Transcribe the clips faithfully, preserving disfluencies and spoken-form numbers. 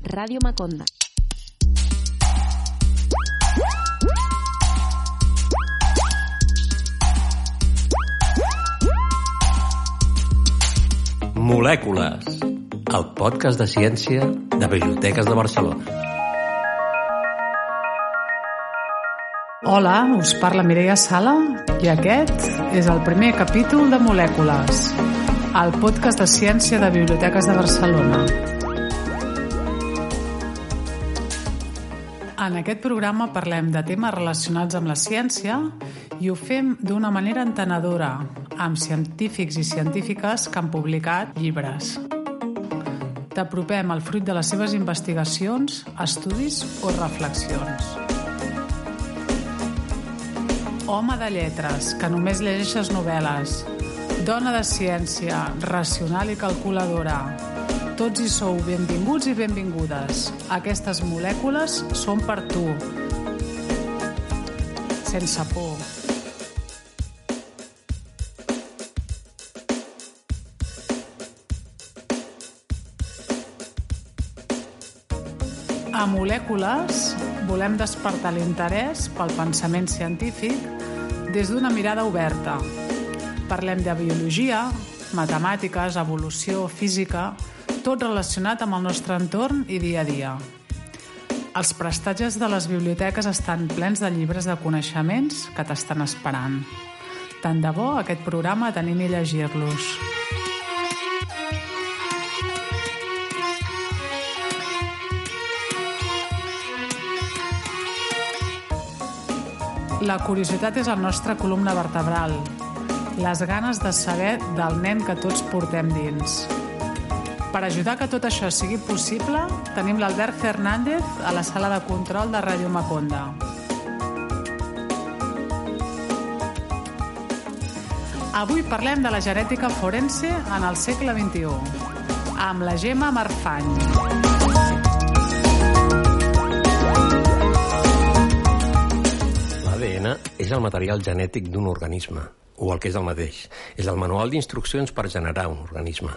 Ràdio Maconda. Molècules, el podcast de ciència de Biblioteques de Barcelona. Hola, us parla Mireia Sala i aquest és el primer capítol de Molècules, el podcast de ciència de Biblioteques de Barcelona. En aquest programa parlem de temes relacionats amb la ciència i ho fem d'una manera entenedora, amb científics i científiques que han publicat llibres. T'apropem al fruit de les seves investigacions, estudis o reflexions. Home de lletres, que només llegeixes novel·les. Dona de ciència, racional i calculadora. Tots hi sou benvinguts i benvingudes. Aquestes molècules són per tu. Sense por. A Molècules volem despertar l'interès pel pensament científic des d'una mirada oberta. Parlem de biologia, matemàtiques, evolució, física, tot relacionat amb el nostre entorn i dia a dia. Els prestatges de les biblioteques estan plens de llibres de coneixements que t'estan esperant. Tant de bo aquest programa t'animi a llegir-los. La curiositat és el nostre columna vertebral, les ganes de saber del nen que tots portem dins. Per ajudar que tot això sigui possible, tenim l'Albert Fernández a la sala de control de Ràdio Maconda. Avui parlem de la genètica forense en el segle vint-i-u, amb la Gemma Marfany. L'A D N és el material genètic d'un organisme, o el que és el mateix. És el manual d'instruccions per generar un organisme.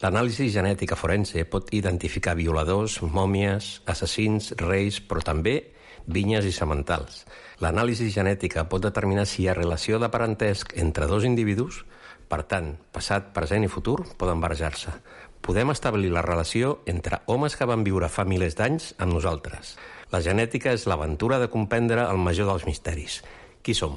L'anàlisi genètica forense pot identificar violadors, mòmies, assassins, reis, però també vinyes i sementals. L'anàlisi genètica pot determinar si hi ha relació de parentesc entre dos individus, per tant, passat, present i futur poden barrejar-se. Podem establir la relació entre homes que van viure fa milers d'anys amb nosaltres. La genètica és l'aventura de comprendre el major dels misteris. Qui som?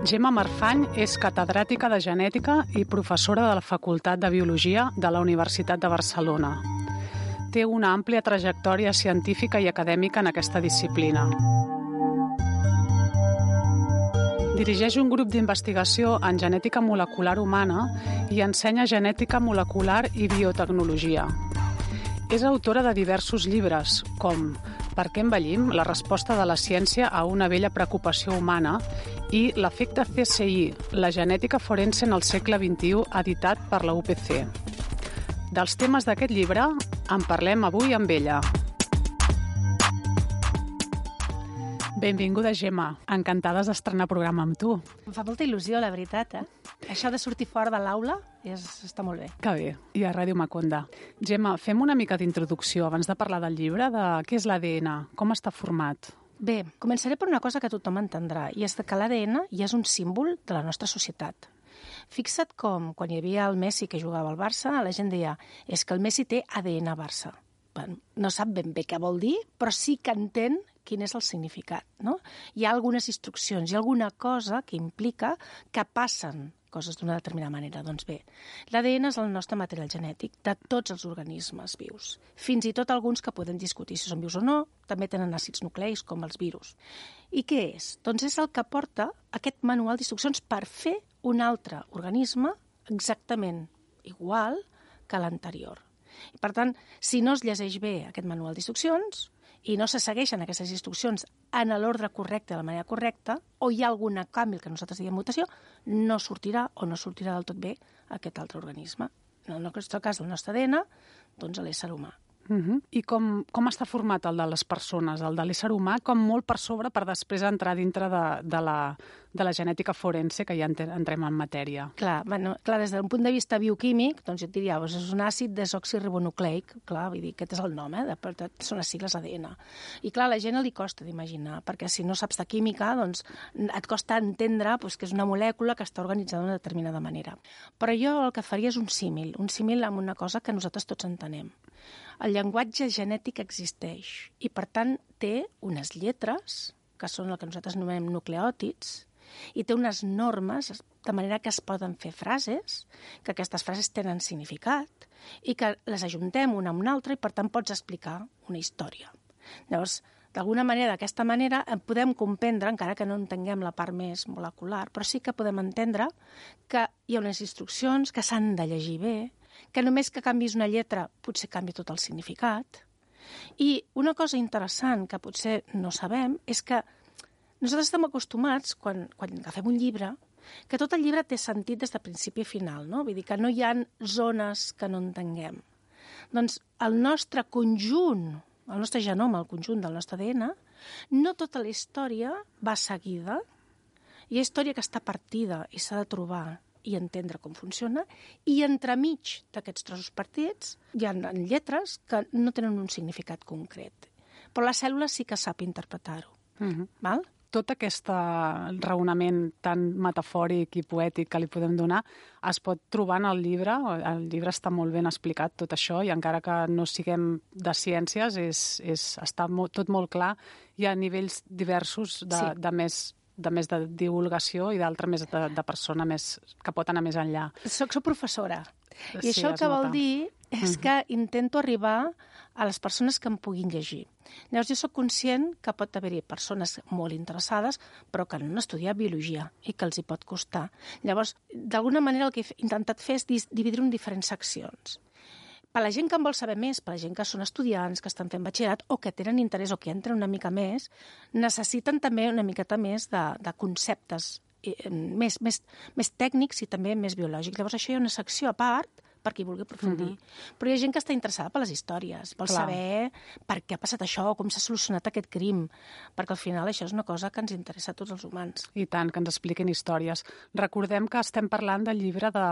Gemma Marfany és catedràtica de genètica i professora de la Facultat de Biologia de la Universitat de Barcelona. Té una àmplia trajectòria científica i acadèmica en aquesta disciplina. Dirigeix un grup d'investigació en genètica molecular humana i ensenya genètica molecular i biotecnologia. És autora de diversos llibres, com Per què envellim? La resposta de la ciència a una vella preocupació humana i L'efecte C S I, la genètica forense en el segle vint-i-u, editat per la U P C. Dels temes d'aquest llibre en parlem avui amb ella. Benvinguda, Gemma. Encantades d'estrenar programa amb tu. Em fa molta il·lusió, la veritat, eh? Això de sortir fora de l'aula és, està molt bé. Que bé. I a Ràdio Maconda. Gemma, fem una mica d'introducció abans de parlar del llibre, de què és l'A D N, com està format? Bé, començaré per una cosa que tothom entendrà, i és que l'A D N ja és un símbol de la nostra societat. Fixa't com, quan hi havia el Messi que jugava al Barça, la gent deia és que el Messi té A D N Barça. Bueno, no sap ben bé què vol dir, però sí que entén quin és el significat, no? Hi ha algunes instruccions, hi ha alguna cosa que implica que passen coses d'una determinada manera. Doncs bé, l'A D N és el nostre material genètic de tots els organismes vius, fins i tot alguns que podem discutir si són vius o no, també tenen àcids nucleics com els virus. I què és? Doncs és el que porta aquest manual d'instruccions per fer un altre organisme exactament igual que l'anterior. I per tant, si no es llegeix bé aquest manual d'instruccions i no se segueixen aquestes instruccions en l'ordre correcte, de la manera correcta, o hi ha algun canvi que nosaltres diguem mutació, no sortirà o no sortirà del tot bé aquest altre organisme. En el nostre cas, el nostre A D N, doncs l'ésser humà. Uh-huh. I com, com està format el de les persones, el de l'ésser humà, com molt per sobre per després entrar dintre de, de, la, de la genètica forense, que ja entrem en matèria? Clar, bueno, clar, des d'un punt de vista bioquímic, doncs jo et diria, doncs és un àcid desoxiribonucleic, clar, vull dir, aquest és el nom, eh? De, de, són les sigles A D N. I clar, a la gent li costa d'imaginar, perquè si no saps de química, doncs et costa entendre doncs, que és una molècula que està organitzada d'una determinada manera. Però jo el que faria és un símil, un símil amb una cosa que nosaltres tots entenem. El llenguatge genètic existeix i, per tant, té unes lletres, que són el que nosaltres anomenem nucleòtids, i té unes normes, de manera que es poden fer frases, que aquestes frases tenen significat, i que les ajuntem una amb una altra i, per tant, pots explicar una història. Llavors, d'alguna manera, d'aquesta manera, podem comprendre, encara que no entenguem la part més molecular, però sí que podem entendre que hi ha unes instruccions que s'han de llegir bé, que només que canvis una lletra potser canvia tot el significat. I una cosa interessant que potser no sabem és que nosaltres estem acostumats, quan, quan agafem un llibre, que tot el llibre té sentit des de principi a final, no? Vull dir que no hi ha zones que no entenguem. Doncs el nostre conjunt, el nostre genoma, el conjunt del nostre A D N, no tota la història va seguida. Hi ha història que està partida i s'ha de trobar i entendre com funciona, i entremig d'aquests trossos partits hi ha lletres que no tenen un significat concret. Però la cèl·lula sí que sap interpretar-ho. Uh-huh. Val? Tot aquest raonament tan metafòric i poètic que li podem donar es pot trobar en el llibre. El llibre està molt ben explicat, tot això, i encara que no siguem de ciències, és, és, està molt, tot molt clar. Hi ha nivells diversos de, sí. de més de més de divulgació i d'altra més de, de persona més, que pot anar més enllà. Soc, soc professora. I sí, això el que vol dir és que uh-huh. intento arribar a les persones que em puguin llegir. Llavors, jo soc conscient que pot haver-hi persones molt interessades, però que no han estudiat biologia i que els hi pot costar. Llavors, d'alguna manera, el que he intentat fer és dividir-ho en diferents seccions. Per la gent que en vol saber més, per la gent que són estudiants, que estan fent batxillerat o que tenen interès o que entren una mica més, necessiten també una miqueta més de, de conceptes eh, més, més, més tècnics i també més biològics. Llavors això hi ha una secció a part per qui vulgui aprofundir. Uh-huh. Però hi ha gent que està interessada per les històries, vol Clar. saber per què ha passat això, com s'ha solucionat aquest crim, perquè al final això és una cosa que ens interessa a tots els humans. I tant, que ens expliquin històries. Recordem que estem parlant del llibre de,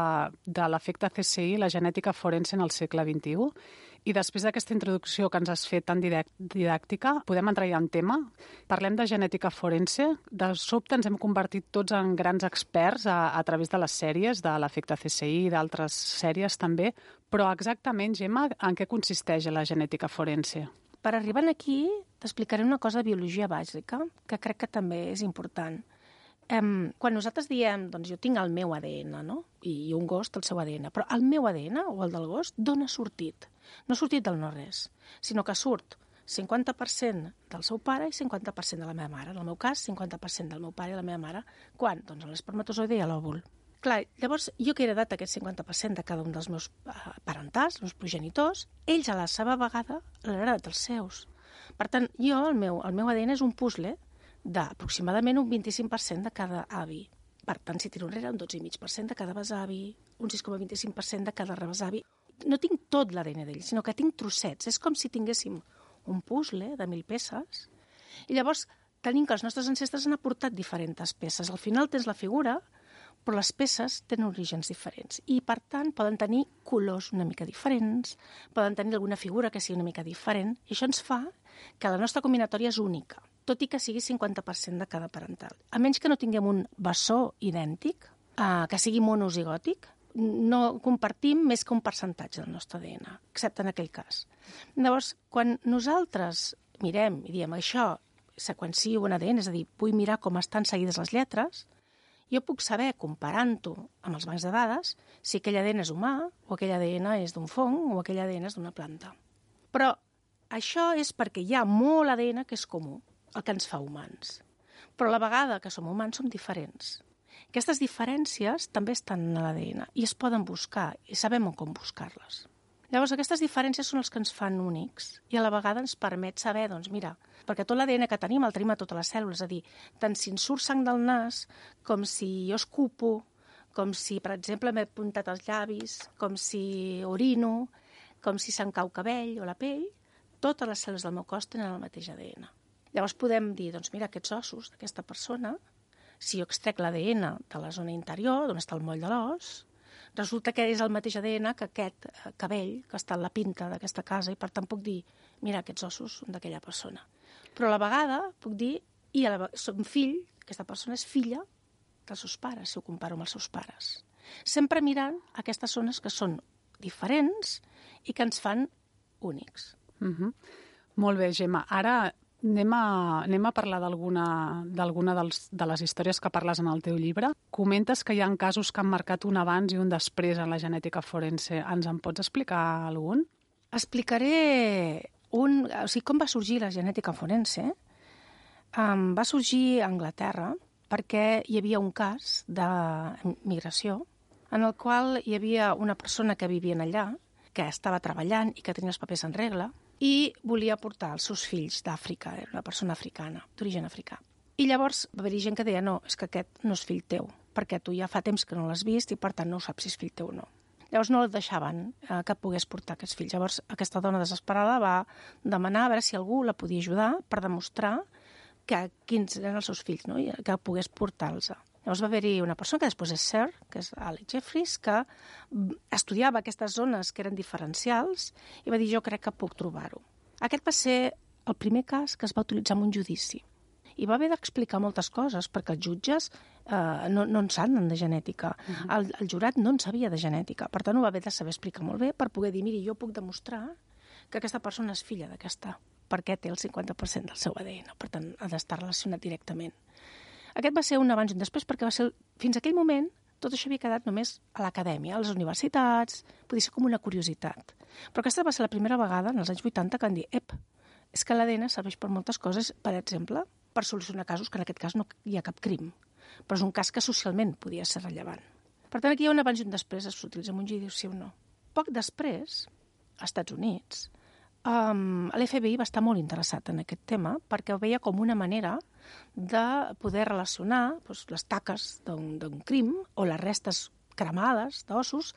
de l'efecte C S I, la genètica forense en el segle vint-i-u, i després d'aquesta introducció que ens has fet tan didàctica, podem entrar ja en tema. Parlem de genètica forense. De sobte ens hem convertit tots en grans experts a, a través de les sèries, de l'efecte C S I i d'altres sèries també. Però exactament, Gemma, en què consisteix la genètica forense? Per arribar aquí, t'explicaré una cosa de biologia bàsica, que crec que també és important. Um, quan nosaltres diem, doncs jo tinc el meu A D N, no? I un gos té el seu A D N, però el meu A D N o el del gos d'on ha sortit? No ha sortit del no-res, sinó que surt cinquanta per cent del seu pare i cinquanta per cent de la meva mare. En el meu cas, cinquanta per cent del meu pare i la meva mare. Quan? Doncs l'espermatozoide i l'òvul. Clar, llavors, jo que he heredat aquest cinquanta per cent de cada un dels meus uh, parentals, els meus progenitors, ells a la seva vegada l'han heredat dels seus. Per tant, jo, el meu, el meu A D N és un puzzle d'aproximadament un vint-i-cinc per cent de cada avi. Per tant, si tiro enrere, un dotze coma cinc per cent de cada besavi, un sis coma vint-i-cinc per cent de cada rebesavi. No tinc tot l'A D N d'ell, sinó que tinc trossets. És com si tinguéssim un puzzle de mil peces i llavors tenim que els nostres ancestres han aportat diferents peces. Al final tens la figura, però les peces tenen orígens diferents i, per tant, poden tenir colors una mica diferents, poden tenir alguna figura que sigui una mica diferent, i això ens fa que la nostra combinatòria és única, tot i que sigui cinquanta per cent de cada parental. A menys que no tinguem un bessó idèntic, eh, que sigui monozigòtic, no compartim més que un percentatge del nostre A D N, excepte en aquell cas. Llavors, quan nosaltres mirem i diem això, seqüencio un A D N, és a dir, vull mirar com estan seguides les lletres, jo puc saber, comparant-ho amb els bancs de dades, si aquell A D N és humà, o aquell A D N és d'un fong, o aquell A D N és d'una planta. Però això és perquè hi ha molt A D N que és comú, el que ens fa humans. Però a la vegada que som humans som diferents. Aquestes diferències també estan en l'A D N i es poden buscar i sabem com buscar-les. Llavors, aquestes diferències són els que ens fan únics i a la vegada ens permet saber, doncs mira, perquè tot l'A D N que tenim el tenim a totes les cèl·lules, és a dir, tant si ens surt sang del nas, com si jo escupo, com si, per exemple, m'he puntat els llavis, com si orino, com si se'n cau cabell o la pell, totes les cèl·lules del meu cos tenen el mateix A D N. Llavors podem dir, doncs mira, aquests ossos d'aquesta persona, si jo extrec l'A D N de la zona interior, d'on està el moll de l'os, resulta que és el mateix A D N que aquest cabell que està en la pinta d'aquesta casa i per tant puc dir, mira, aquests ossos són d'aquella persona. Però a la vegada puc dir, i a la, som fill, aquesta persona és filla dels seus pares, si ho comparo amb els seus pares. Sempre mirant aquestes zones que són diferents i que ens fan únics. Uh-huh. Molt bé, Gemma. Ara anem a, anem a parlar d'alguna d'alguna de les històries que parles en el teu llibre. Comentes que hi ha casos que han marcat un abans i un després en la genètica forense. Ens en pots explicar algun? Explicaré un, o sigui, com va sorgir la genètica forense. Um, va sorgir a Anglaterra perquè hi havia un cas de migració en el qual hi havia una persona que vivia allà, que estava treballant i que tenia els papers en regla, i volia portar els seus fills d'Àfrica, era una persona africana, d'origen africà. I llavors va haver-hi gent que deia, no, és que aquest no és fill teu, perquè tu ja fa temps que no l'has vist i per tant no saps si és fill teu o no. Llavors no el deixaven eh, que pogués portar aquests fills. Llavors aquesta dona desesperada va demanar a veure si algú la podia ajudar per demostrar que quins eren els seus fills, no? I que pogués portar-los. Llavors va haver-hi una persona que després és Sir, que és Alex Jeffries, que estudiava aquestes zones que eren diferencials i va dir, jo crec que puc trobar-ho. Aquest va ser el primer cas que es va utilitzar en un judici. I va haver d'explicar moltes coses, perquè els jutges eh, no, no en saben de genètica. Uh-huh. el, el jurat no en sabia de genètica. Per tant, ho va haver de saber explicar molt bé per poder dir, miri, jo puc demostrar que aquesta persona és filla d'aquesta, perquè té el cinquanta per cent del seu A D N. Per tant, ha d'estar relacionat directament. Aquest va ser un abans i un després perquè va ser, fins a aquell moment, tot això havia quedat només a l'acadèmia, a les universitats, podia ser com una curiositat. Però aquesta va ser la primera vegada, en els anys vuitanta, que van dir, ep, és que l'A D N serveix per moltes coses, per exemple, per solucionar casos que en aquest cas no hi ha cap crim, però és un cas que socialment podia ser rellevant. Per tant, aquí hi ha un abans i un després, s'utilitza en un judici sí o no. Poc després, als Estats Units, um, l'F B I va estar molt interessat en aquest tema perquè ho veia com una manera de poder relacionar doncs, les taques d'un crim o les restes cremades d'ossos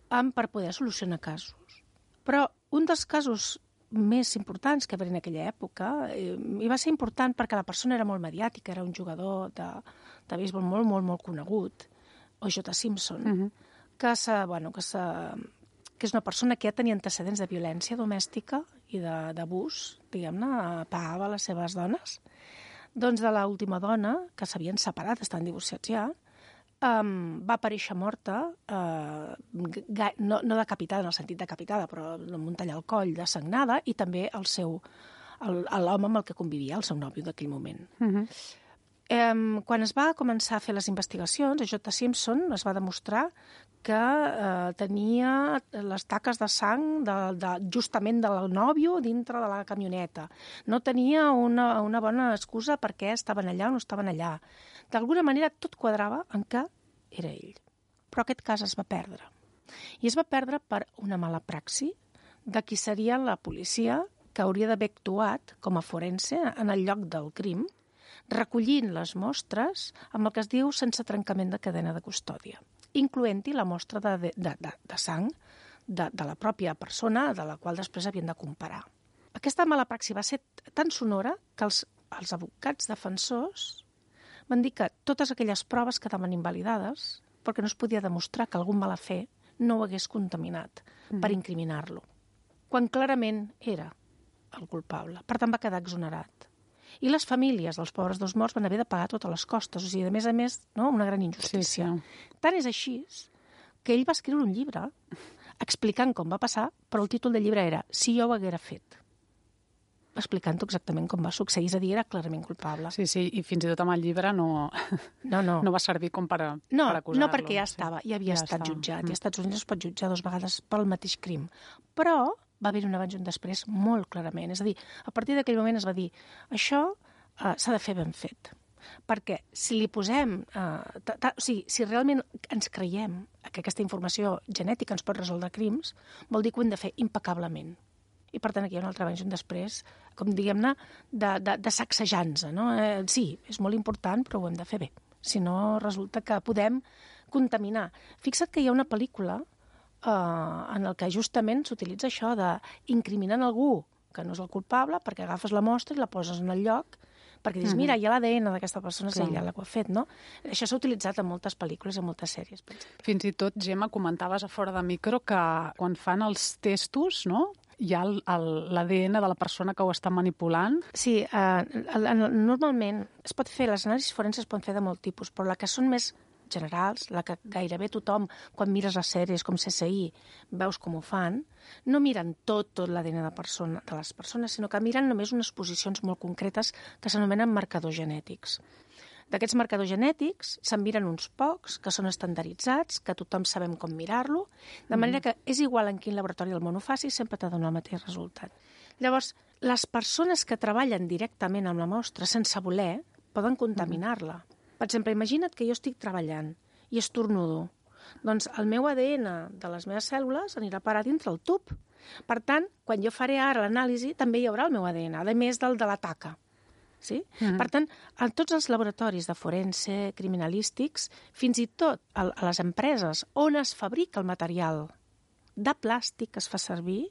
per poder solucionar casos. Però un dels casos més importants que va haver en aquella època eh, i va ser important perquè la persona era molt mediàtica, era un jugador de, de béisbol molt, molt, molt conegut, O J. Simpson, uh-huh. que, se, bueno, que, se, que és una persona que ja tenia antecedents de violència domèstica i d'abús, diguem-ne, pagava les seves dones. Doncs de l'última dona, que s'havien separat, estan divorciats ja, um, va aparèixer morta, uh, no, no decapitada en el sentit decapitada, però amb un tall al coll, desagnada, i també el seu l'home amb el que convivia, el seu nòvio d'aquell moment. Uh-huh. Um, quan es va començar a fer les investigacions, a J. Simpson es va demostrar que uh, tenia les taques de sang de, de, justament del nòvio dintre de la camioneta. No tenia una, una bona excusa per què estaven allà o no estaven allà. D'alguna manera tot quadrava en què era ell. Però aquest cas es va perdre. I es va perdre per una mala praxi de qui seria la policia que hauria d'haver actuat com a forense en el lloc del crim, recollint les mostres amb el que es diu sense trencament de cadena de custòdia, incloent-hi la mostra de, de, de, de sang de, de la pròpia persona de la qual després havien de comparar. Aquesta mala praxi va ser tan sonora que els, els advocats defensors van dir que totes aquelles proves quedaven invalidades perquè no es podia demostrar que algun malafer no ho hagués contaminat mm. per incriminar-lo, quan clarament era el culpable. Per tant, va quedar exonerat. I les famílies dels pobres dos morts van haver de pagar totes les costes. O sigui, a més a més, no? Una gran injustícia. Sí, sí. Tant és així que ell va escriure un llibre explicant com va passar, però el títol del llibre era Si jo ho haguera fet. Explicant-ho exactament com va succeir. És a dir, era clarament culpable. Sí, sí, i fins i tot amb el llibre no, no, no. no va servir com per, no, per acusar-lo. No, perquè ja estava, ja havia ja estat estava. jutjat. Mm. I als Estats Units es pot jutjar dues vegades pel mateix crim. Però va haver un abans i un després molt clarament. És a dir, a partir d'aquell moment es va dir això uh, s'ha de fer ben fet. Perquè si li posem... Uh, ta, ta, o sigui, si realment ens creiem que aquesta informació genètica ens pot resoldre crims, vol dir que ho hem de fer impecablement. I per tant aquí hi ha un altre abans i un després, com diguem-ne, de, de, de sacsejant-se. No? Eh, sí, és molt important, però ho hem de fer bé. Si no, resulta que podem contaminar. Fixa't que hi ha una pel·lícula eh, en el que justament s'utilitza això d'incriminar algú que no és el culpable perquè agafes la mostra i la poses en el lloc perquè dius, mira, hi ha l'A D N d'aquesta persona, és ella la que ho ha fet, no? Això s'ha utilitzat en moltes pel·lícules, en moltes sèries, per exemple. Fins i tot, Gemma, comentaves a fora de micro que quan fan els testos, no?, hi ha l'A D N de la persona que ho està manipulant. Sí, eh, normalment es pot fer, les anàlisis forenses es poden fer de molt tipus, però la que són més generals, la que gairebé tothom, quan mires les sèries com C S I, veus com ho fan, no miren tot, tot l'A D N de, persona, de les persones, sinó que miren només unes posicions molt concretes que s'anomenen marcadors genètics. D'aquests marcadors genètics se'n miren uns pocs, que són estandarditzats, que tothom sabem com mirar-lo, de manera que és igual en quin laboratori del món ho faci, sempre t'ha de donar el mateix resultat. Llavors, les persones que treballen directament amb la mostra sense voler poden contaminar-la. Per exemple, imagina't que jo estic treballant i estornudo. Doncs el meu A D N de les meves cèl·lules anirà a parar dintre el tub. Per tant, quan jo faré ara l'anàlisi, també hi haurà el meu A D N, a més del de la taca. Sí? Mm-hmm. Per tant, en tots els laboratoris de forense, criminalístics, fins i tot a les empreses on es fabrica el material de plàstic que es fa servir,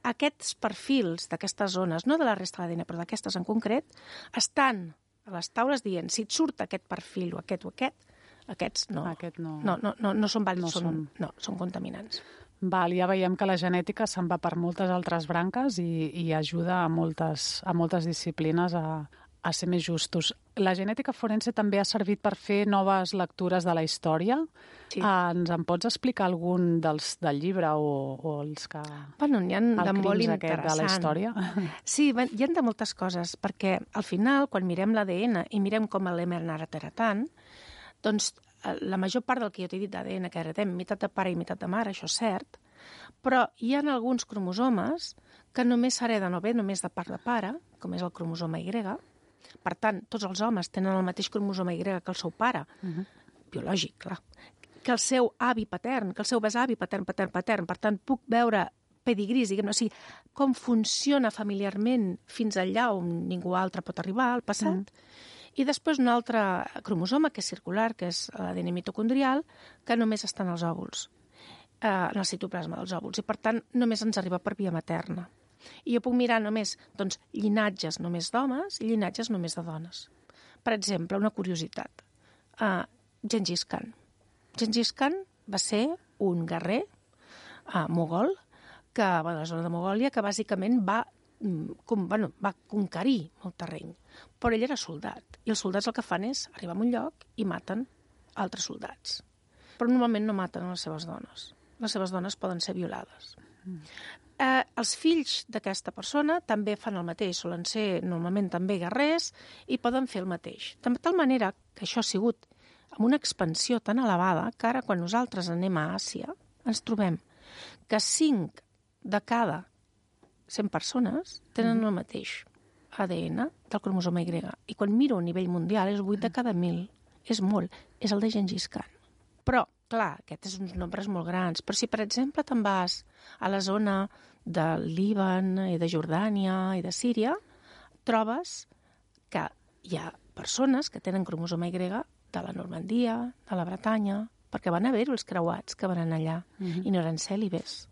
aquests perfils d'aquestes zones, no de la resta de l'A D N, però d'aquestes en concret, estan a les taules dient si et surt aquest perfil o aquest o aquest, aquests no. Aquest no. No, no, no, no són vàlids, no són, són... no, són contaminants. Val, ja veiem que la genètica se'n va per moltes altres branques i, i ajuda a moltes, a moltes disciplines a, a ser més justos. La genètica forense també ha servit per fer noves lectures de la història. Sí. Ah, ens en pots explicar algun dels del llibre o, o els que... Bueno, n'hi ha de molt interessant. De la història? Sí, hi ha de moltes coses, perquè al final, quan mirem l'A D N i mirem com l'hem anat heretant, doncs la major part del que jo t'he dit d'A D N que heretem, meitat de pare i meitat de mare, això és cert, però hi ha alguns cromosomes que només s'hereden o bé només de part de pare, com és el cromosoma Y. Per tant, tots els homes tenen el mateix cromosoma Y que el seu pare, uh-huh. biològic, clar, que el seu avi patern, que el seu besavi patern, patern, patern. Per tant, puc veure pedigris, diguem-ne, o sigui, com funciona familiarment fins allà on ningú altre pot arribar al passat. Uh-huh. I després un altre cromosoma, que és circular, que és l'A D N mitocondrial, que només està en els òvuls, eh, en el citoplasma dels òvuls, i per tant només ens arriba per via materna. I jo puc mirar només doncs, llinatges només d'homes i llinatges només de dones. Per exemple, una curiositat, uh, Gengis Khan. Gengis Khan va ser un guerrer uh, mogol, que, bueno, a la zona de Mogòlia, que bàsicament va Com, bueno, va conquerir molt terreny, però ell era soldat, i els soldats el que fan és arribar a un lloc i maten altres soldats. Però normalment no maten les seves dones. Les seves dones poden ser violades. Mm. Eh, els fills d'aquesta persona també fan el mateix, solen ser normalment també guerrers i poden fer el mateix. De tal manera que això ha sigut amb una expansió tan elevada que ara quan nosaltres anem a Àsia ens trobem que cinc de cada cent persones tenen el mateix A D N del cromosoma Y. I quan miro a nivell mundial és vuit de cada mil. És molt. És el de Gengis Khan. Però, clar, aquests són uns nombres molt grans. Però si, per exemple, te'n vas a la zona del Líban i de Jordània i de Síria, trobes que hi ha persones que tenen cromosoma Y de la Normandia, de la Bretanya, perquè van haver-hi els creuats que van anar allà uh-huh. i no eren cèlibes.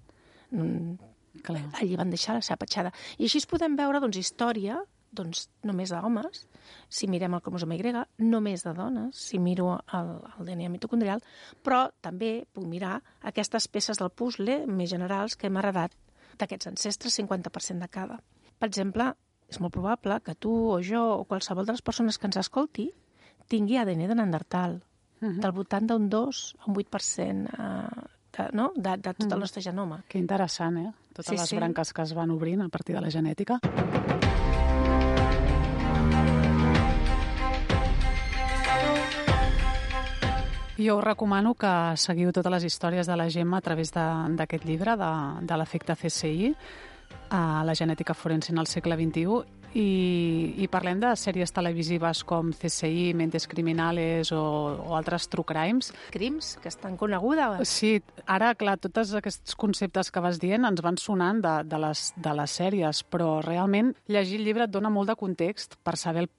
Mm, Clar. Allí van deixar la seva petjada. I així es podem veure doncs, història doncs, només d'homes, si mirem el cromosoma Y, només de dones, si miro el, el D N A mitocondrial, però també puc mirar aquestes peces del puzzle més generals que hem heredat d'aquests ancestres, cinquanta per cent de cada. Per exemple, és molt probable que tu o jo o qualsevol de les persones que ens escolti tingui A D N de Neandertal, uh-huh. del voltant d'un dos a un vuit per cent eh, de, no? de, de tot el nostre genoma. Que interessant, eh? Totes sí, les sí. branques que es van obrint a partir de la genètica. Jo us recomano que seguiu totes les històries de la Gemma a través d'aquest llibre, de, de l'efecte C S I, a la genètica forense en el segle vint-i-u, i, i parlem de sèries televisives com C S I, Mentes Criminales o, o altres true crimes. Crims, que estan conegudes. Sí, ara, clar, tots aquests conceptes que vas dient ens van sonant de, de, les, de les sèries, però realment llegir el llibre et dona molt de context per saber el,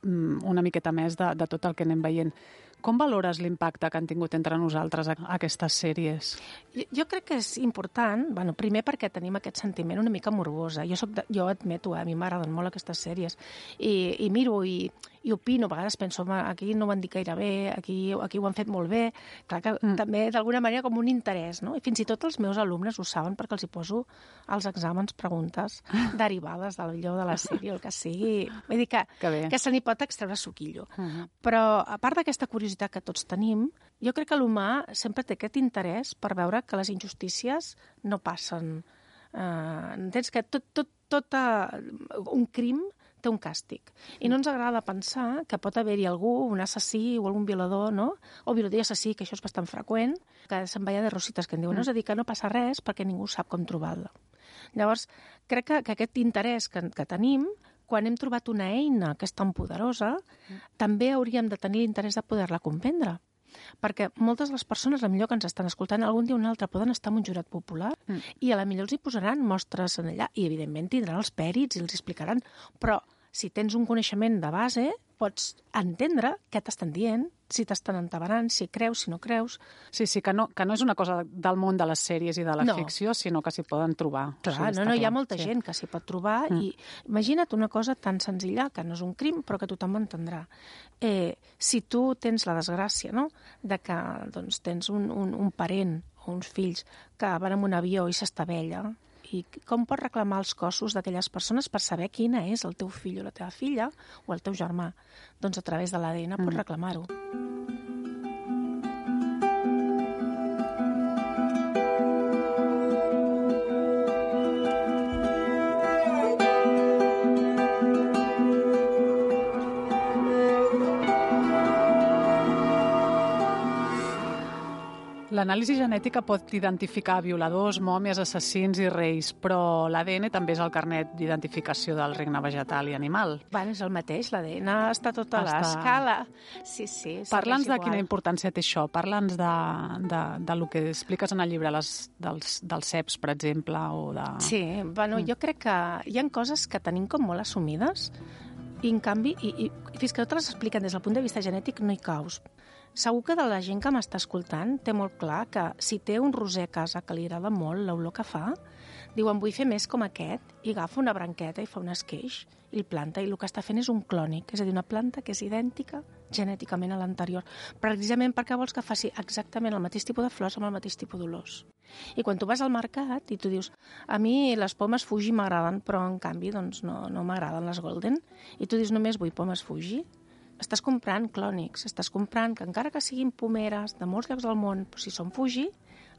una miqueta més de, de tot el que anem veient. Com valores l'impacte que han tingut entre nosaltres aquestes sèries? Jo, jo crec que és important, bueno, primer perquè tenim aquest sentiment una mica morbosa. Jo, soc de, jo admeto, eh, a mi m'agraden molt aquestes sèries. I, i miro i, i opino, a vegades penso, home, aquí no ho han dit gaire bé, aquí, aquí ho han fet molt bé. Clar que mm. també, d'alguna manera, com un interès, no? I fins i tot els meus alumnes ho saben perquè els hi poso als exàmens preguntes derivades del millor de la sèrie, el que sigui. Vull dir que, que, que se n'hi pot extreure suquillo. Uh-huh. Però, a part d'aquesta curiositat que tots tenim, jo crec que l'humà sempre té aquest interès per veure que les injustícies no passen. Uh, entens que tot, tot, tot uh, un crim té un càstig. I no ens agrada pensar que pot haver-hi algú, un assassí o algun violador, no? O violador i assassí, que això és bastant freqüent, que se'n veia de rosites, que en diuen, no? És a dir, que no passa res perquè ningú sap com trobar-la. Llavors, crec que, que aquest interès que, que tenim, quan hem trobat una eina que és tan poderosa, mm. també hauríem de tenir l'interès de poder-la comprendre. Perquè moltes de les persones, potser que ens estan escoltant, algun dia o un altre poden estar en un jurat popular mm. i a la millor els hi posaran mostres en allà i, evidentment, tindran els pèrits i els explicaran. Però si tens un coneixement de base, pots entendre què t'estan dient, si t'estan entabanant, si creus, si no creus. Sí, sí, que no, que no és una cosa del món de les sèries i de la no. ficció, sinó que s'hi poden trobar. Clar, o sigui, no, no, hi ha molta sí. gent que s'hi pot trobar mm. i imagina't una cosa tan senzilla, que no és un crim, però que tothom entendrà. Eh, si tu tens la desgràcia, no?, de que doncs, tens un, un, un parent o uns fills que van en un avió i s'estavella, i com pots reclamar els cossos d'aquelles persones per saber quina és el teu fill o la teva filla o el teu germà? Doncs a través de l'A D N mm. pots reclamar-ho. L'anàlisi genètica pot identificar violadors, mòmies, assassins i reis, però l'A D N també és el carnet d'identificació del regne vegetal i animal. Bueno, és el mateix, l'A D N està tota a l'escala. Sí, sí. Parla'ns de quina importància té això. Parla'ns de, de, de lo que expliques en el llibre les, dels, dels ceps, per exemple, o de... Sí, bueno, mm. jo crec que hi ha coses que tenim com molt assumides i, en canvi, i, i, fins que totes les expliquen des del punt de vista genètic, no hi caus. Segur que de la gent que m'està escoltant té molt clar que si té un roser a casa que li agrada molt l'olor que fa, diuen vull fer més com aquest i agafa una branqueta i fa un esqueix i el planta i el que està fent és un clònic, és a dir, una planta que és idèntica genèticament a l'anterior, precisament perquè vols que faci exactament el mateix tipus de flors amb el mateix tipus d'olors. I quan tu vas al mercat i tu dius a mi les pomes Fuji m'agraden, però en canvi doncs, no, no m'agraden les Golden, i tu dius només vull pomes Fuji, estàs comprant clònics, estàs comprant que encara que siguin pomeres de molts llocs del món, però si són Fuji,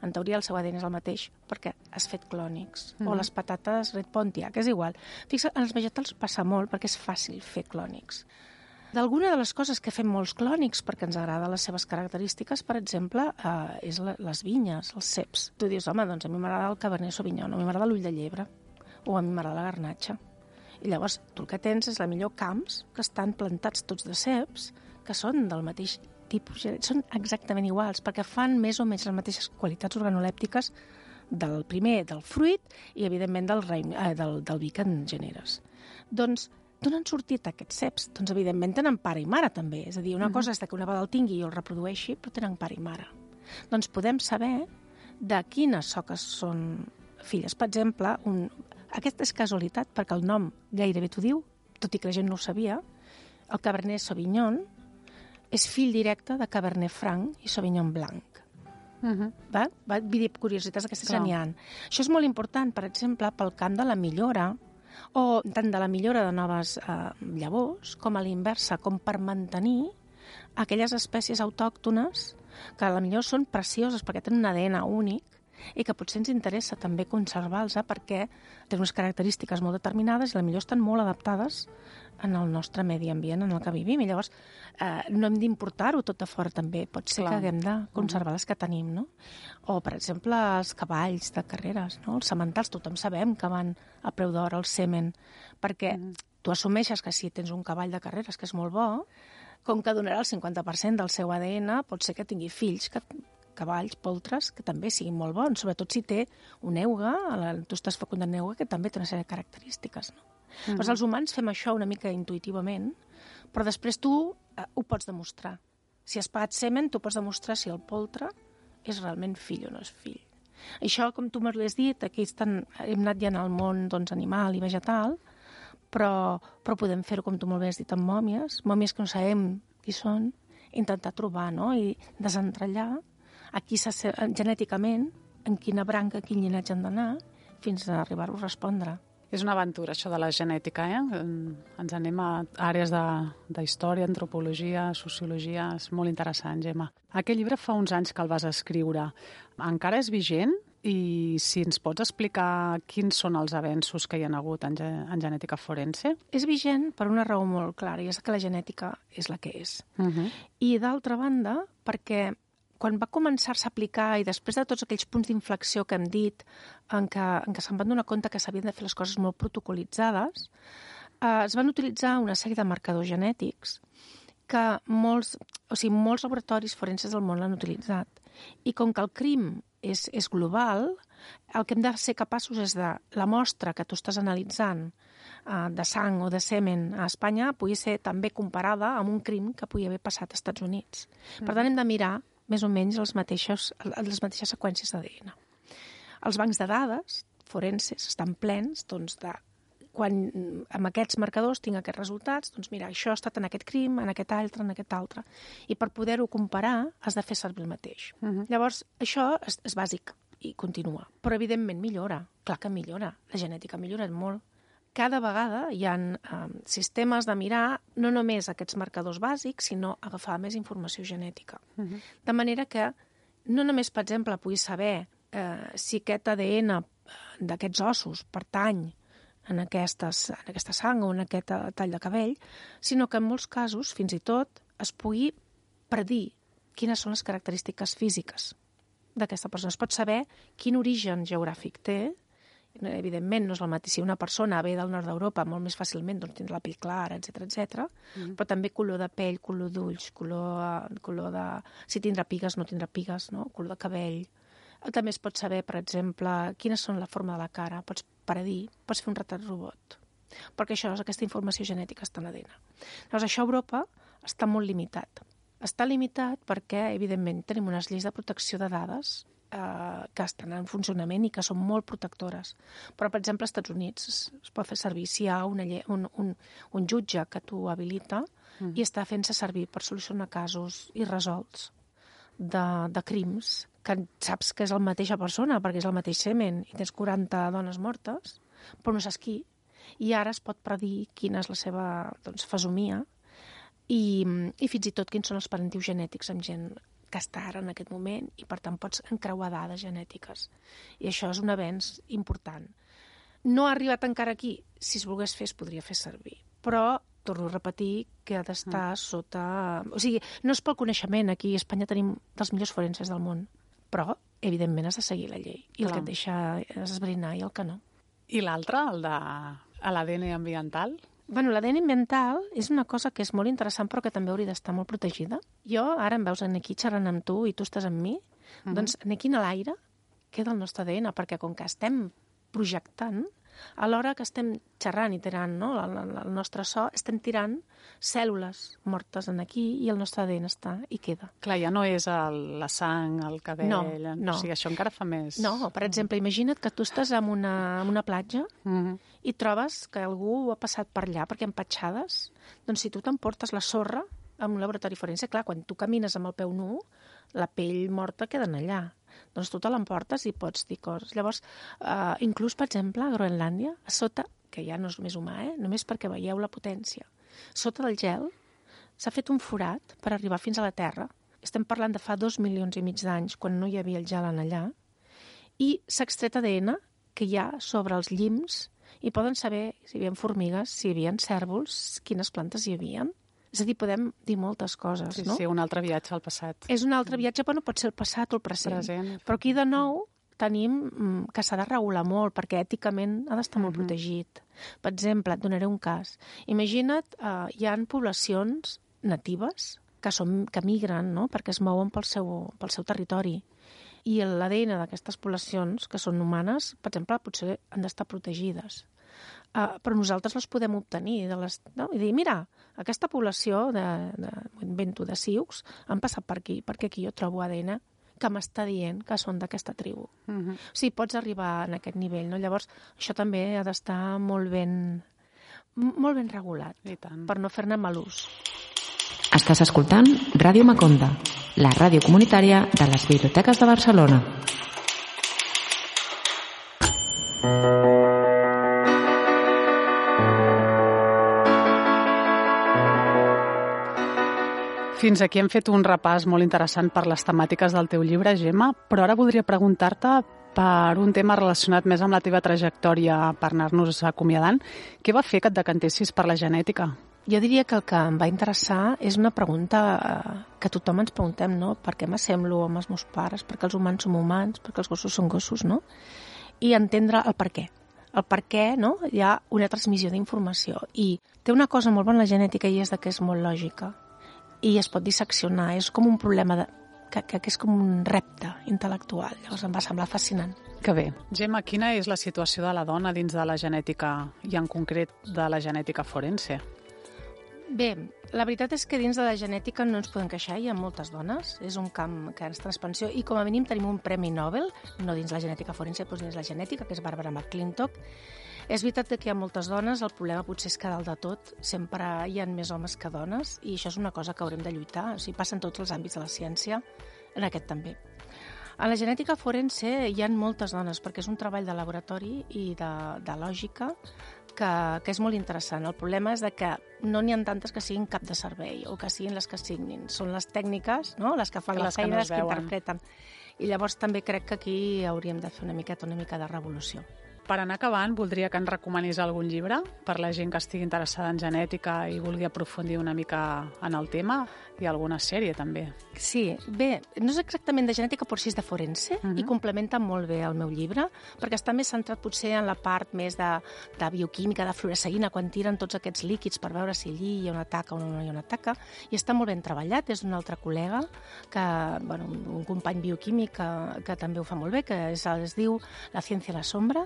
en teoria el seu A D N és el mateix, perquè has fet clònics. Mm-hmm. O les patates Red Pontiac, és igual. Fixa't, en els vegetals passa molt perquè és fàcil fer clònics. D'alguna de les coses que fem molts clònics perquè ens agrada les seves característiques, per exemple, eh, és la, les vinyes, els ceps. Tu dius, home, doncs a mi m'agrada el Cabernet Sauvignon, a mi m'agrada l'ull de llebre, o a mi m'agrada la garnatxa. I llavors tu el que tens és la millor camps que estan plantats tots de ceps, que són del mateix tipus, són exactament iguals, perquè fan més o menys les mateixes qualitats organolèptiques del primer, del fruit, i evidentment del, reim, eh, del, del vi que en generes. Doncs, d'on han sortit aquests ceps? Doncs evidentment tenen pare i mare també, és a dir, una mm-hmm. cosa és que una vegada el tingui i el reprodueixi, però tenen pare i mare. Doncs podem saber de quines soques són filles. Per exemple, un... aquesta és casualitat, perquè el nom gairebé t'ho diu, tot i que la gent no ho sabia. El Cabernet Sauvignon és fill directe de Cabernet Franc i Sauvignon Blanc. Uh-huh. Va? Va? Vull dir, curiositats d'aquestes ja n'hi ha. Això és molt important, per exemple, pel camp de la millora, o tant de la millora de noves eh, llavors, com a l'inversa, com per mantenir aquelles espècies autòctones que a la millor són precioses perquè tenen un A D N únic, i que potser ens interessa també conservar-los perquè tenen unes característiques molt determinades i potser estan molt adaptades en el nostre medi ambient en el que vivim. I llavors eh, no hem d'importar-ho tot de fora també. Pot ser Clar. que haguem de conservar les que tenim, no? O, per exemple, els cavalls de carreres, no? Els sementals, tothom sabem que van a preu d'or al semen, perquè mm. tu assumeixes que si tens un cavall de carreres que és molt bo, com que donarà el cinquanta per cent del seu A D N, pot ser que tingui fills que cavalls, poltres, que també siguin molt bons, sobretot si té un euga, tu estàs fecundant euga, que també té una sèrie de característiques. No? Mm-hmm. Doncs els humans fem això una mica intuïtivament, però després tu eh, ho pots demostrar. Si has pagat semen, tu pots demostrar si el poltre és realment fill o no és fill. Això, com tu m'has dit, aquí estan, hem anat ja en el món doncs, animal i vegetal, però, però podem fer-ho, com tu molt bé has dit, amb mòmies, mòmies que no sabem qui són, intentar trobar, no?, i desentrellar aquí genèticament en quina branca, quin llinatge han d'anar, fins a arribar-ho a respondre. És una aventura, això de la genètica, eh? Ens anem a àrees d'història, antropologia, sociologia, és molt interessant, Gemma. Aquest llibre fa uns anys que el vas escriure. Encara és vigent? I si ens pots explicar quins són els avenços que hi ha hagut en, ge en genètica forense? És vigent per una raó molt clara, i és que la genètica és la que és. Uh -huh. I d'altra banda, perquè quan va començar-se a aplicar, i després de tots aquells punts d'inflexió que hem dit, en què, en què se'n van donar compte que s'havien de fer les coses molt protocolitzades, eh, es van utilitzar una sèrie de marcadors genètics que molts, o sigui, molts laboratoris forenses del món l'han utilitzat. I com que el crim és, és global, el que hem de ser capaços és de la mostra que tu estàs analitzant eh, de sang o de semen a Espanya pugui ser també comparada amb un crim que pugui haver passat als Estats Units. Mm. Per tant, hem de mirar més o menys les mateixes, les mateixes seqüències d'A D N. Els bancs de dades forenses estan plens doncs, de quan amb aquests marcadors tinc aquests resultats, doncs mira, això ha estat en aquest crim, en aquest altre, en aquest altre. I per poder-ho comparar has de fer servir el mateix. Uh-huh. Llavors, això és, és bàsic i continua. Però, evidentment, millora. Clar que millora. La genètica millora molt. Cada vegada hi ha eh, sistemes de mirar no només aquests marcadors bàsics, sinó agafar més informació genètica. Uh-huh. De manera que no només, per exemple, puguis saber eh, si aquest A D N d'aquests ossos pertany en, aquestes, en aquesta sang o en aquest tall de cabell, sinó que en molts casos, fins i tot, es pugui predir quines són les característiques físiques d'aquesta persona. Es pot saber quin origen geogràfic té. Evidentment, no és el mateix. Si una persona ve del nord d'Europa, molt més fàcilment doncs, tindrà la pell clara, etcètera, etcètera. Mm. Però també color de pell, color d'ulls, color, color de... si tindrà pigues, no tindrà pigues, no? Color de cabell. També es pot saber, per exemple, quines són la forma de la cara. Pots predir, pots fer un retrat robot. Perquè això, aquesta informació genètica està en l'A D N. Llavors, això a Europa està molt limitat. Està limitat perquè, evidentment, tenim unes lleis de protecció de dades eh, que estan en funcionament i que són molt protectores. Però, per exemple, als Estats Units es, es pot fer servir si hi ha una lle un, un, un jutge que t'ho habilita mm. i està fent-se servir per solucionar casos irresolts de, de crims que saps que és la mateixa persona perquè és el mateix semen i tens quaranta dones mortes, però no saps qui. I ara es pot predir quina és la seva doncs, fesomia i, i fins i tot quins són els parentius genètics amb gent que està ara en aquest moment i, per tant, pots encreuar dades genètiques. I això és un avenç important. No ha arribat encara aquí. Si es volgués fer, es podria fer servir. Però, torno a repetir, que ha d'estar mm. sota... O sigui, no és pel coneixement. Aquí a Espanya tenim dels millors forenses del món. Però, evidentment, has de seguir la llei. I Clar. El que et deixa és esbrinar i el que no. I l'altre, el de l'A D N ambiental? Bueno, l'A D N ambiental és una cosa que és molt interessant però que també hauria d'estar molt protegida. Jo, ara em veus aquí xerrant amb tu i tu estàs amb mi, uh-huh. doncs aquí a l'aire queda el nostre A D N, perquè com que estem projectant, a l'hora que estem xerrant i tirant no, el, el nostre so, estem tirant cèl·lules mortes en aquí i el nostre A D N està i queda. Clar, ja no és el, la sang, el cabell... No, no. O sigui, això encara fa més... No, per exemple, imagina't que tu estàs en una, en una platja uh-huh. i trobes que algú ha passat per allà perquè empatxades. Doncs si tu t'emportes la sorra en un laboratori forense, clar, quan tu camines amb el peu nu, la pell morta queda allà. Doncs tu te l'emportes i pots dir coses. Llavors, eh, inclús, per exemple, a Groenlàndia, a sota, que ja no és només humà, eh, només perquè veieu la potència, sota del gel s'ha fet un forat per arribar fins a la Terra. Estem parlant de fa dos milions i mig d'anys, quan no hi havia el gel en allà, i s'ha extret A D N que hi ha sobre els llims i poden saber si hi havia formigues, si hi havia cèrvols, quines plantes hi havia. És a dir, podem dir moltes coses, sí, no? Sí, un altre viatge al passat. És un altre viatge, però no pot ser el passat o el present. present. Però aquí, de nou, tenim que s'ha de regular molt, perquè èticament ha d'estar molt uh-huh. protegit. Per exemple, et donaré un cas. Imagina't, eh, hi ha poblacions natives que, són, que migren, no?, perquè es mouen pel seu, pel seu territori. I l'A D N d'aquestes poblacions, que són humanes, per exemple, potser han d'estar protegides. uh, però nosaltres les podem obtenir. De les, no? I dir, mira, aquesta població de, de, invento, de sioux han passat per aquí, perquè aquí jo trobo A D N que m'està dient que són d'aquesta tribu. Uh-huh. O sigui, pots arribar en aquest nivell, no? Llavors, això també ha d'estar molt ben, molt ben regulat, per no fer-ne mal ús. Estàs escoltant Ràdio Maconda, la ràdio comunitària de les Biblioteques de Barcelona. Fins aquí hem fet un repàs molt interessant per les temàtiques del teu llibre, Gemma, però ara voldria preguntar-te per un tema relacionat més amb la teva trajectòria per anar-nos acomiadant. Què va fer que et decantessis per la genètica? Jo diria que el que em va interessar és una pregunta que tothom ens preguntem, no? Per què m'assemblo amb els meus pares? Per què els humans som humans? Per què els gossos són gossos, no? I entendre el per què. El per què, no? Hi ha una transmissió d'informació. I té una cosa molt bona la genètica i és que és molt lògica. I es pot disseccionar. És com un problema de, que, que, que és com un repte intel·lectual. Llavors em va semblar fascinant. Que bé. Gemma, quina és la situació de la dona dins de la genètica i en concret de la genètica forense? Bé, la veritat és que dins de la genètica no ens podem queixar, hi ha moltes dones, és un camp que està en expansió i com a mínim tenim un premi Nobel, no dins la genètica forense, però dins la genètica, que és Barbara McClintock. És veritat que hi ha moltes dones, el problema potser és que dalt de tot sempre hi ha més homes que dones i això és una cosa que haurem de lluitar, o sigui, passa en tots els àmbits de la ciència, en aquest també. A la genètica forense hi ha moltes dones perquè és un treball de laboratori i de, de lògica que, que és molt interessant. El problema és de que no n'hi ha tantes que siguin cap de servei o que siguin les que signin. Són les tècniques, no? Les que fan les la feina, no les que interpreten. I llavors també crec que aquí hauríem de fer una miqueta, una mica de revolució. Per anar acabant, voldria que ens recomanis algun llibre per la gent que estigui interessada en genètica i vulgui aprofundir una mica en el tema, i alguna sèrie també. Sí, bé, no és exactament de genètica, però sí és de forense, uh-huh. i complementa molt bé el meu llibre, perquè està més centrat potser en la part més de, de bioquímica, de fluoresceïna, quan tiren tots aquests líquids per veure si allí hi ha una taca o no hi ha una taca, i està molt ben treballat, és d'un altre col·lega, que, bueno, un company bioquímic que, que també ho fa molt bé, que és, es diu La ciència a la sombra,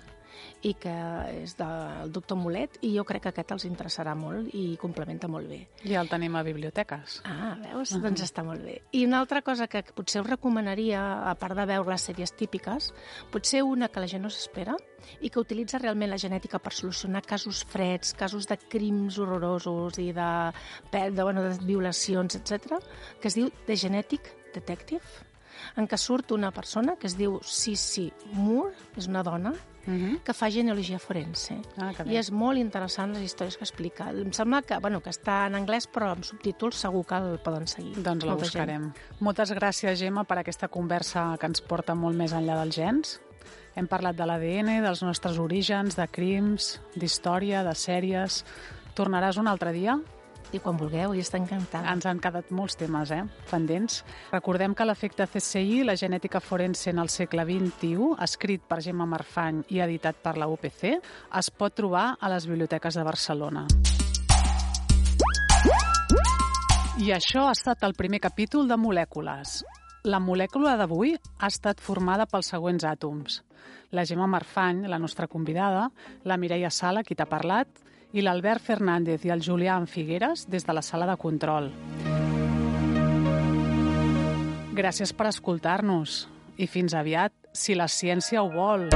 i que és del doctor Mulet, i jo crec que aquest els interessarà molt i complementa molt bé. Ja el tenim a biblioteques. Ah, veus? Uh-huh. Doncs està molt bé. I una altra cosa que potser us recomanaria, a part de veure les sèries típiques, potser una que la gent no s'espera i que utilitza realment la genètica per solucionar casos freds, casos de crims horrorosos i de, de, bueno, de violacions, etcètera, que es diu The Genetic Detective, en què surt una persona que es diu Sissy Moore, és una dona, Uh-huh. que fa genealogia forense. Ah, i és molt interessant les històries que explica. Em sembla que, bueno, que està en anglès, però amb subtítols segur que el poden seguir. Doncs la buscarem. Gent. Moltes gràcies, Gemma, per aquesta conversa que ens porta molt més enllà dels gens. Hem parlat de l'A D N, dels nostres orígens, de crims, d'història, de sèries. Tornaràs un altre dia? I quan vulgueu, i està encantada. Ens han quedat molts temes, eh, pendents. Recordem que l'efecte C S I, la genètica forense en el segle vint-i-u, escrit per Gemma Marfany i editat per la U P C, es pot trobar a les biblioteques de Barcelona. I això ha estat el primer capítol de Molècules. La molècula d'avui ha estat formada pels següents àtoms. La Gemma Marfany, la nostra convidada, la Mireia Sala, qui t'ha parlat, i l'Albert Fernández i el Julián Figueres des de la sala de control. Gràcies per escoltar-nos i fins aviat, si la ciència ho vol.